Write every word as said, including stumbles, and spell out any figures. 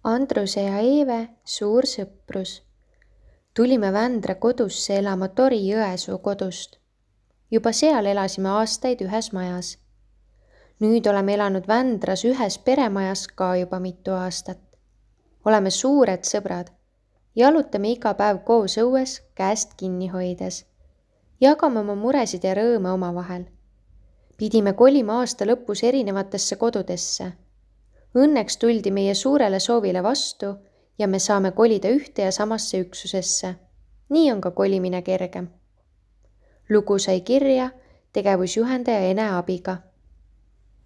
Andruse ja Eeve suur sõprus. Tulime Vändra kodusse elama Tori Jõesuu kodust. Juba seal elasime aastaid ühes majas. Nüüd oleme elanud Vändras ühes peremajas ka juba mitu aastat. Oleme suured sõbrad. Jalutame iga päev koos õues käest kinni hoides. Jagame oma muresid ja rõõme omavahel. Pidime kolima aasta lõpus erinevatesse kodudesse. Õnneks tuldi meie suurele soovile vastu ja me saame kolida ühte ja samasse üksusesse. Nii on ka kolimine kergem. Lugu sai kirja tegevusjuhendaja Ene abiga.